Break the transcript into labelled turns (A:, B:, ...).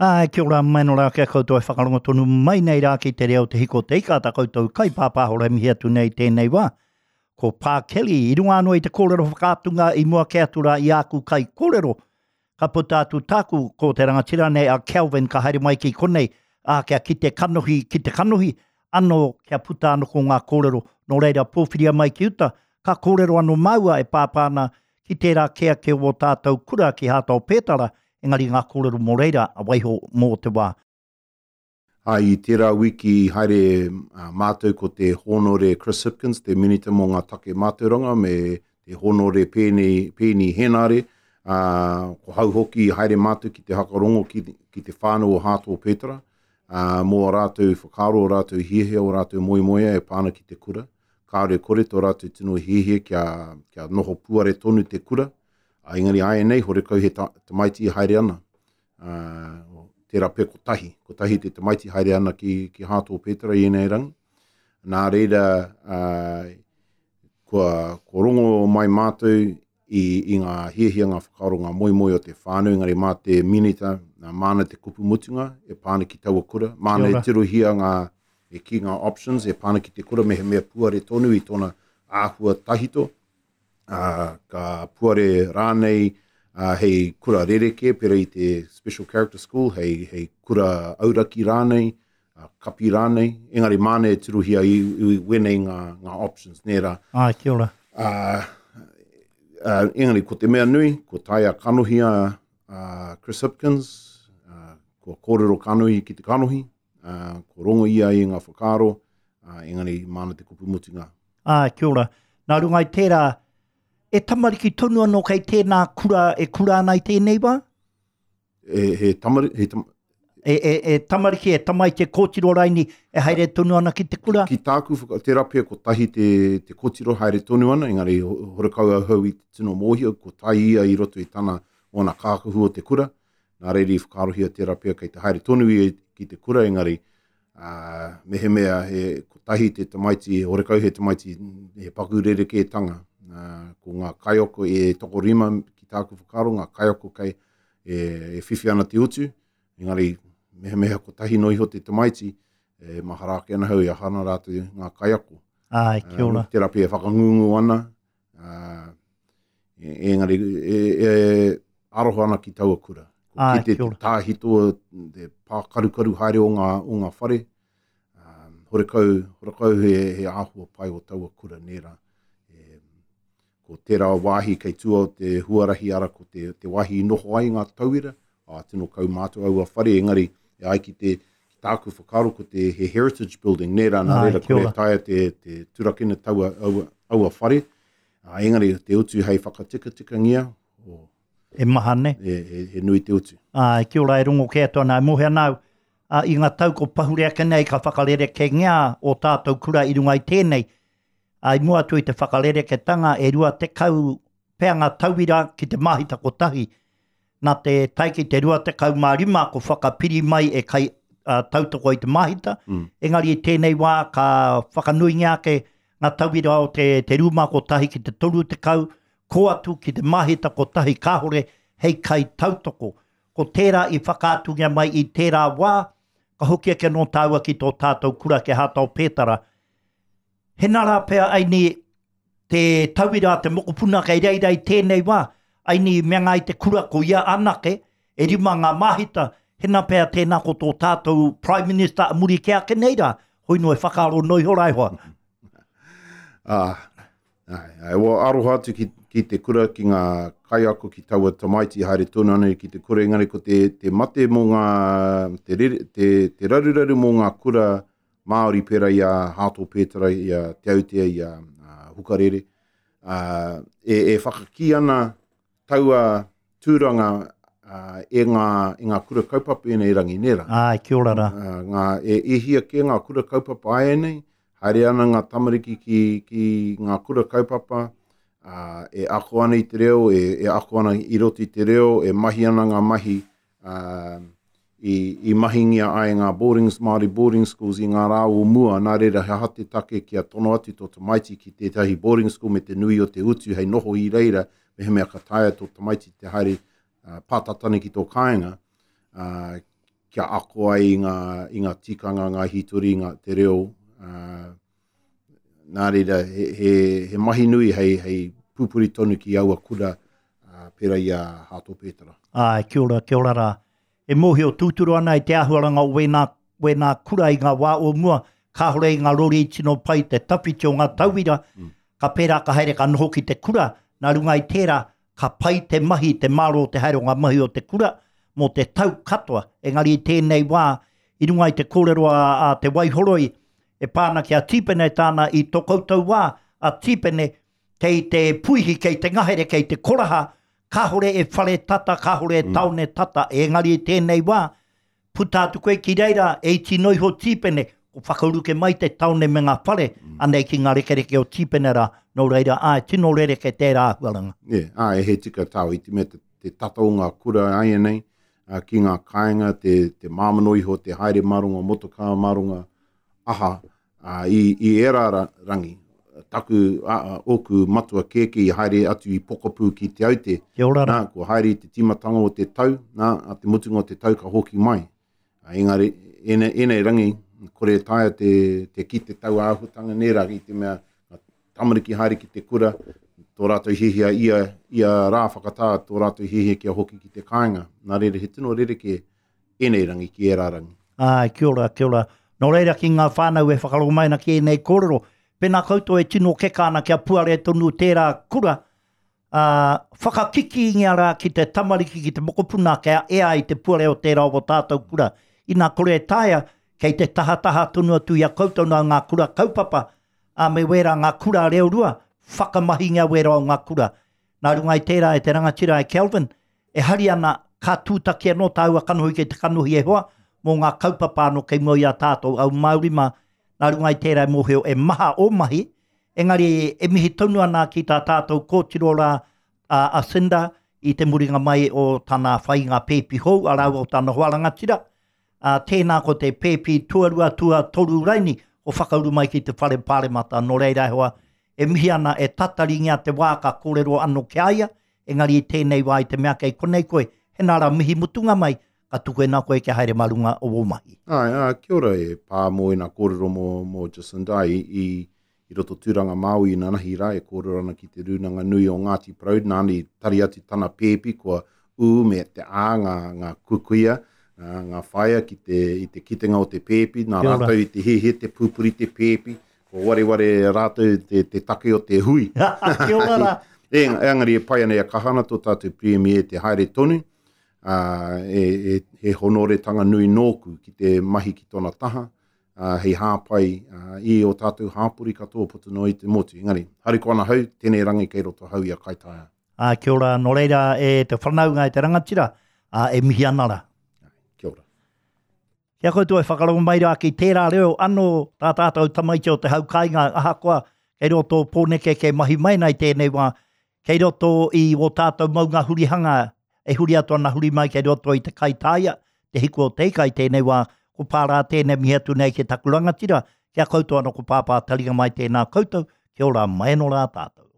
A: Āe, kia ora mai anō rā ki a koutou e whakarongo tonu mai nei rā ki te reo Te Hiko o Te Ika, tā koutou kaipāpāho e mihi atu nei tēnei wā. Ko Pā Kelly, i runga anō i te kōrero whakaatunga i mua kē atu rā i āku kaikōrero, ka puta atu tāku, ko te rangatira nei a Kelvin ka haere mai ki konei, ā, kia kite kanohi ki te kanohi, anō kia puta anō ko ngā kōrero, nō reira pōwhiria mai ki uta, ka kōrero anō māua e pāpā ana ki tērā kē ake o ō tātou kura ki Hāta o Pētara, engari ngā kōrero mō reira a waiho mō te wā.
B: Ā, i tērā wiki i haere mātou ko te Hōnore Chris Hipkins, te Minita mō ngā Take Mātauranga, me te Hōnore Peeni, Peeni Henare, ā, ko hau hoki i haere mātou ki te hakarongo ki, ki te whānau o Hāto Pētara, ā, mō ā rātou whakaaro, ō rātou hiahia, ō rātou moemoeā e pā ana ki te kura. Kāore kore tō rātou tino hiahia kia, kia noho puare tonu te kura, ā, engari āianei horekau he ta, tamaiti e haere ana. Ā, tērā pea kotahi, kotahi te tamaiti haere ana ki, ki Hāto Pētera i ēnei rangi. Nā reira, ā, kua, kua rongo mai mātou i, i ngā hiahia, ngā whakaaro, ngā moemoe o te whānau, engari mā te minita, nā, māna te kupu mutunga e pā ana ki taua kura, māna e tirohia ngā, e ki ngā options e pā ana ki te kura mehemea puare tonu i tōna āhua tahito, ā, ka puare rānei ā, hei kura rerekē, pērā i te Special Character School, hei, hei kura auraki rānei, kapi rānei, engari māna e tirohia i, i wēnei ngā, ngā options, nē rā.
A: Āe, kia ora.
B: Ā, ā, engari ko te mea nui, ko taea kanohi a, a Chris Hipkins, ā, kua kōrero kanohi ki te kanohi, ā, kua rongo ia i ngā whakaaro, ā, engari māna te kupu mutunga.
A: Āe, kia ora. Nā runga i tērā, e tamariki tonu anō kei tēnā kura e kura ana i tēnei wā?
B: E, he tamari, he tam...
A: E, e, e tamariki, e tamaiti, e kōtiro raini, e haere tonu ana ki te kura?
B: Ki tāku, whaka, tērā pea kotahi te, te kōtiro haere tonu ana, engari horekau ahau i te tino mōhio, ko tai ia i roto i tana, ōna kākahu o te kura, nā reira i whakaarohia tērā pea kei te haere tonu ia ki te kura, engari ā, mehemea he kotahi te tamaiti, horekau he tamaiti, he paku rerekētanga, ā, ko ngā kaiako e tokorima ki tāku whakaaro, ngā kaiako kei e, e whiwhi ana te utu, engari mehemea kotahi noa iho te tamaiti, e mahara ake ana hau e aha ana rātou ngā kaiako.
A: Āe, kia ora.
B: Tērā pea e whakangungu ana, ā, e, engari e, e aroha ana ki taua kura. Ko Āe, kite te tāhito, te pākarukaru haere o ngā, o ngā whare, um, horekau, horekau he, he āhua pai o taua kura nē rā. E, ko tērā wāhi kei tua o te huarahi ara, ko te, te wāhi i noho ai ngā tauira, ā, tino kaumātua aua whare, engari e ai ki te, ki tāku whakaaro ko te he heritage building, nē rā, nā reira kore taea te, te turakina taua, aua, aua whare, ā, engari te utu hei whakatikatikangia,
A: o, E maha nei.
B: E, he, he nui te utu.
A: Āe, kia ora e rongo kē atu ana, e mōhio ana au, ā, i ngā tau ko pahure ake nei ka whakarerekēngia ō tātou kura i runga i tēnei, ā, i mua atu i te whakarereketanga e 20 pea ngā tauira ki te māhita kotahi, nā te tae ki te 25 ko whakapiri mai e kai uh, tautoko i te māhita, mm. engari i tēnei wā ka whakanuingia ake ngā tauira o te, te rūma kotahi ki te 30, ko atu ki te māhita kotahi kāhore hei kai tautoko. Ko tērā i whakaatungia mai i tērā wā, ka hoki ake anō tāua ki tō tātou kura ki Hātao Pētara. Hena rā pea aini te tauira a te mokopuna kei reira i tēnei wā, aini i mea i te kura ko ia anake, e rima ngā māhita, hena pea tēnā ko tō tātou Prime Minister a muri kē ake nei rā, hoi no e whakaaro noa iho rā e hoa.
B: Ah, ai, ai, well, aroha atu ki, ki te kura, ki ngā kaiako, ki taua tamaiti haere tonu ana ki te kura, engari ko te, te mate mō ngā, te, rere, te, te raruraru mō ngā kura Māori pērā i a Hāto Pētera, i a Te Autea, i a Hukarere, uh, e, e whakakī ana taua tūranga uh, e, ngā, e ngā kura kaupapa ēnei rangi, nē rā?
A: Āe, kia ora rā.
B: Uh, ngā, e, e hia kē ngā kura kaupapa āianei, haere ana ngā tamariki ki, ki ngā kura kaupapa, uh, e ako ana i te reo, e, e ako ana i roto i te reo, e mahi ana ngā mahi uh, i, i mahingia ai ngā boarding, Māori boarding schools i ngā rā o mua, nā reira he aha te take kia tono atu tō tamaiti ki tētahi boarding school me te nui o te utu hei noho i reira, mehemea ka taea tō tamaiti te haere uh, pātata nei ki tō kāinga, uh, kia ako ai i ngā, i ngā tikanga, ngā hītori, ngā, te reo. Ā, nā reira, he, he, he mahi nui hei, hei pupuri tonu ki aua kura, ā, pērā i a Hato Pētara.
A: Āe, kia ora, kia ora rā. E mōhio tūturu ana i te āhuaranga o wēnā, wēnā kura i ngā wā o mua, kāore i ngā rori tino pai te tawhiti o ngā tauira, ka pērā ka haere ka noho ki te kura, nā runga i tērā, ka pai te mahi, te mārō te haere o ngā mahi o te kura mō te tau katoa. Engari i tēnei wā, i runga i te kōrero a, a Te Waihoroi, e pā ana ki a Tīpene tāna i tō koutou wā, a Tīpene, kei te puihi, kei te ngahere, kei te koraha, kāore e whare tata, kāore e mm. taone tata, engari i tēnei wā, puta atu koe ki reira, e iti noa iho Tīpene, ko whakauruke mai te taone me ngā whare, mm. anei ki ngā rekereke o Tīpene rā, nō reira, āe, tino rereke tērā āhuaranga.
B: Yeah, āe, he tika tāu, i te mea te, te tata o ngā kura āianei, uh, ki ngā kāinga, te, te māmano iho, te haere maronga motokā, maronga aha, Ā, i, i ērā ra, rangi, taku, ā, ā, ōku matua kēkē i haere atu i Pokapū ki Te Aute.
A: Kia ora
B: rā. Nā, kua haere i te tīmatanga o te tau, nā, a te mutunga o te tau ka hoki mai. Ā, engari, ēnei, ēnei rangi, kore e taea te, te kite taua āhuatanga nei rā, i te mea, ngā tamariki haere ki te kura, tō rātou hiahia ia, ia rā whakatā, tō rātou hiahia kia hoki ki te kāinga. Nā reira, he tino rerekē ēnei rangi ki ērā rangi.
A: Āe, kia ora, kia ora. Nō reira ki ngā whānau e whakarongo mai ana ki ēnei kōrero, pēnā koutou e tino keka ana kia puare tonu tērā kura, ā, whakakikīngia rā ki te tamariki, ki te mokopuna kia ea ai te puare o tērā o tātou kura. Ina kore e taea, kei te tahataha tonu atu i a koutou nā ngā kura kaupapa, ā, me wērā ngā kura reorua, whakamahingia wērā o ngā kura. Nā runga i tērā e te rangatira e Kelvin, e hari ana ka tūtaki anō tāua kanohi kei te kanohi e hoa, mō ngā kaupapa anō kei mua i a tātou au Māori mā, nā runga i tērā e mōhio e maha ō mahi, engari e mihi tonu ana ki tā tātou kōtiro rā a a Cinder i te muringa mai o tana whai i ngā pēpi hou a rāua o tana hoa rangatira, ā, tēnā ko te pēpi tuarua, tuatoru raini o whakauru mai ki te whare pāremata, nō reira e hoa, e mihi ana e tataringia te wā ka kōrero anō ki a ia, engari i tēnei wā i te mea kei konei koe, hena rā mihi mutunga mai, ka tukuena koe kia haere mā runga o wō mahi.
B: Āe, ā, kia ora e pā mō ēnā kōrero mō, mō Jacinda i, i, i roto Tūranga Māui inanahi rā e kōrero ana ki te Rūnanga Nui o Ngāti Porou, nāna i tari atu tana pēpi kua ū me te ā ngā, ngā kukuia, ngā, ngā whaea ki te, i te kitenga o te pēpi, nā rātou i te hiahia te pupuri te pēpi, kua wareware rātou te, te take o te hui.
A: Kia ora rā.
B: E, engari e pai ana e kaha ana tō tātou Premier te haere tonu, ā, e, e, he honoretanga nui nōku ki te mahi ki tōna taha, ā, hei hāpai ā, i ō tātou hāpori katoa puta noa i te motu. Engari, harikoa ana hau, tēnei rangi kei roto hau i a Kaitaia.
A: Ā, kia ora, nō reira e te whanaunga e te rangatira, ā, e mihi ana rā.
B: Kia ora.
A: Ki a koutou e whakarongo mai rā ki tērā reo anō tā tātou tamaiti o te hau kāinga, ahakoa kei roto o Pōneke kei mahi mai ana i tēnei wā, kei roto i wō tātou maunga hurihanga e huri atu ana huri mai kei roto i te Kaitāia, te hiku o te ika i tēnei wā, ko Pārā tēnei mihi atu nei ki taku rangatira, ki a koutou anō ko Pāpā Taringa mai tēnā koutou, kia ora mai anō rā tātou.